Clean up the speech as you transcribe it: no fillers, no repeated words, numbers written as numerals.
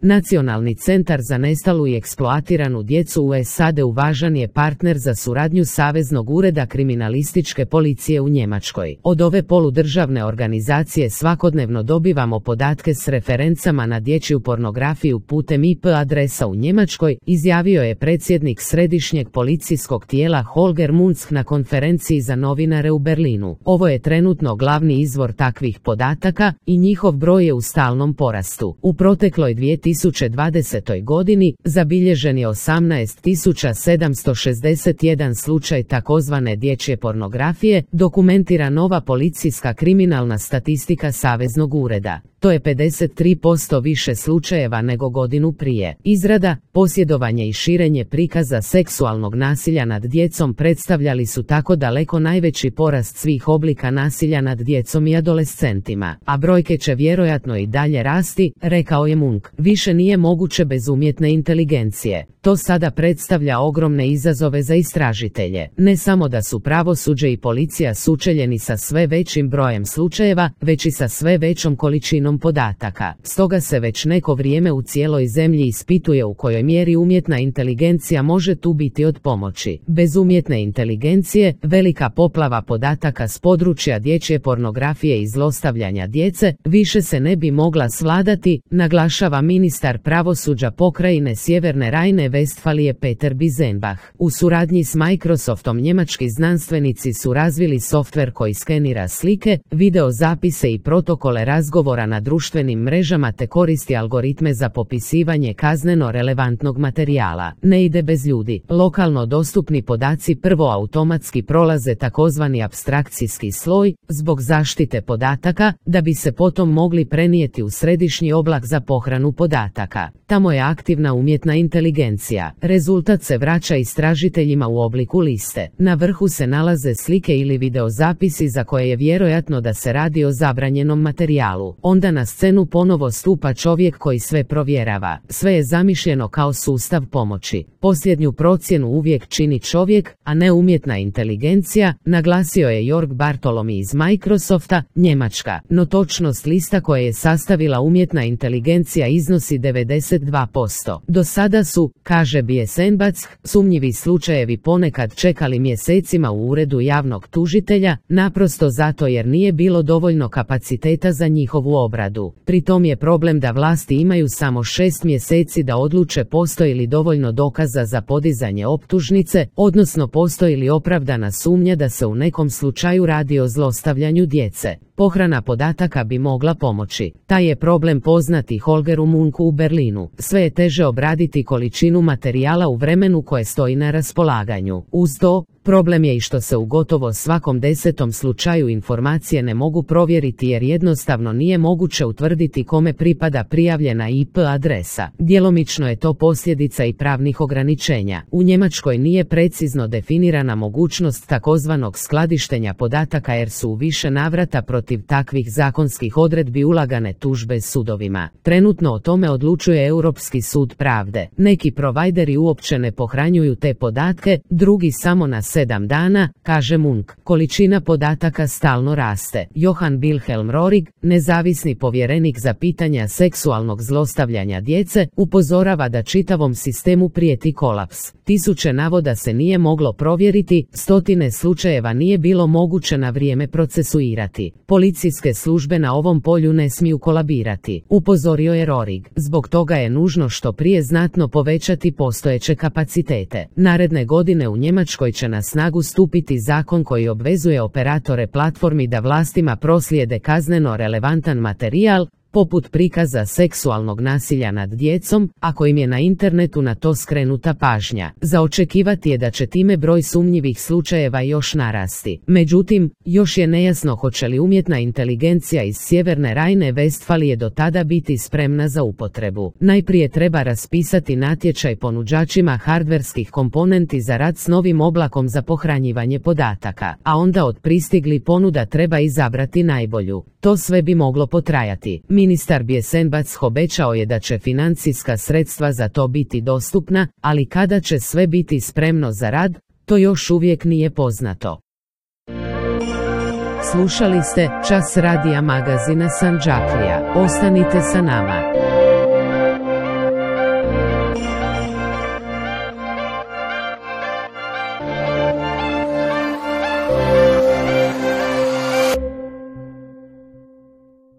Nacionalni centar za nestalu i eksploatiranu djecu u SAD-u važan je partner za suradnju Saveznog ureda kriminalističke policije u Njemačkoj. Od ove poludržavne organizacije svakodnevno dobivamo podatke s referencama na dječju pornografiju putem IP adresa u Njemačkoj, izjavio je predsjednik središnjeg policijskog tijela Holger Munzk na konferenciji za novinare u Berlinu. Ovo je trenutno glavni izvor takvih podataka i njihov broj je u stalnom porastu. U protekloj 2020. godini zabilježen je 18.761 slučaj takozvane dječje pornografije, dokumentira nova policijska kriminalna statistika Saveznog ureda. To je 53% više slučajeva nego godinu prije. Izrada, posjedovanje i širenje prikaza seksualnog nasilja nad djecom predstavljali su tako daleko najveći porast svih oblika nasilja nad djecom i adolescentima, a brojke će vjerojatno i dalje rasti, rekao je Munck. Više nije moguće bez umjetne inteligencije. To sada predstavlja ogromne izazove za istražitelje. Ne samo da su pravosuđe i policija sučeljeni sa sve većim brojem slučajeva, već i sa sve većom količinom podataka. Stoga se već neko vrijeme u cijeloj zemlji ispituje u kojoj mjeri umjetna inteligencija može tu biti od pomoći. Bez umjetne inteligencije, velika poplava podataka s područja dječje pornografije i zlostavljanja djece više se ne bi mogla svladati, naglašava ministar pravosuđa pokrajine Sjeverne Rajne-Vestfalije Peter Bizenbach. U suradnji s Microsoftom njemački znanstvenici su razvili softver koji skenira slike, video zapise i protokole razgovora na društvenim mrežama te koristi algoritme za popisivanje kazneno relevantnog materijala. Ne ide bez ljudi. Lokalno dostupni podaci prvo automatski prolaze takozvani apstrakcijski sloj, zbog zaštite podataka, da bi se potom mogli prenijeti u središnji oblak za pohranu podataka. Tamo je aktivna umjetna inteligencija. Rezultat se vraća istražiteljima u obliku liste. Na vrhu se nalaze slike ili videozapisi za koje je vjerojatno da se radi o zabranjenom materijalu. Onda na scenu ponovo stupa čovjek koji sve provjerava. Sve je zamišljeno kao sustav pomoći. Posljednju procjenu uvijek čini čovjek, a ne umjetna inteligencija, naglasio je Jörg Bartolomi iz Microsofta, Njemačka. No točnost lista koje je sastavila umjetna inteligencija iznosi 92%. Do sada su, kaže Bizenbach, sumnjivi slučajevi ponekad čekali mjesecima u uredu javnog tužitelja, naprosto zato jer nije bilo dovoljno kapaciteta za njihovu obradu. Pri tom je problem da vlasti imaju samo 6 mjeseci da odluče postoji li dovoljno dokaza za podizanje optužnice, odnosno postoji li opravdana sumnja da se u nekom slučaju radi o zlostavljanju djece. Pohrana podataka bi mogla pomoći. Taj je problem poznati Holgeru Muncku u Berlinu. Sve je teže obraditi količinu materijala u vremenu koje stoji na raspolaganju. Uz to, problem je i što se u gotovo svakom 10. slučaju informacije ne mogu provjeriti jer jednostavno nije moguće utvrditi kome pripada prijavljena IP adresa. Djelomično je to posljedica i pravnih ograničenja. U Njemačkoj nije precizno definirana mogućnost takozvanog skladištenja podataka jer su u više navrata protiv takvih zakonskih odredbi ulagane tužbe sudovima. Trenutno o tome odlučuje Europski sud pravde. Neki provajderi uopće ne pohranjuju te podatke, drugi samo na 7 dana, kaže Munck. Količina podataka stalno raste. Johann Wilhelm Rohrig, nezavisni povjerenik za pitanja seksualnog zlostavljanja djece, upozorava da čitavom sistemu prijeti kolaps. Tisuće navoda se nije moglo provjeriti, stotine slučajeva nije bilo moguće na vrijeme procesuirati. Policijske službe na ovom polju ne smiju kolabirati, upozorio je Rohrig. Zbog toga je nužno što prije znatno povećati postojeće kapacitete. Naredne godine u Njemačkoj će na snagu stupiti zakon koji obvezuje operatore platformi da vlastima proslijede kazneno relevantan materijal, poput prikaza seksualnog nasilja nad djecom, ako im je na internetu na to skrenuta pažnja. Za očekivati je da će time broj sumnjivih slučajeva još narasti. Međutim, još je nejasno hoće li umjetna inteligencija iz Sjeverne Rajne-Vestfalije do tada biti spremna za upotrebu. Najprije treba raspisati natječaj ponuđačima hardverskih komponenti za rad s novim oblakom za pohranjivanje podataka, a onda od pristiglih ponuda treba izabrati najbolju. To sve bi moglo potrajati. Ministar Bizenbach obećao je da će financijska sredstva za to biti dostupna, ali kada će sve biti spremno za rad, to još uvijek nije poznato. Slušali ste Čas radija magazina Sandžaklija. Ostanite sa nama.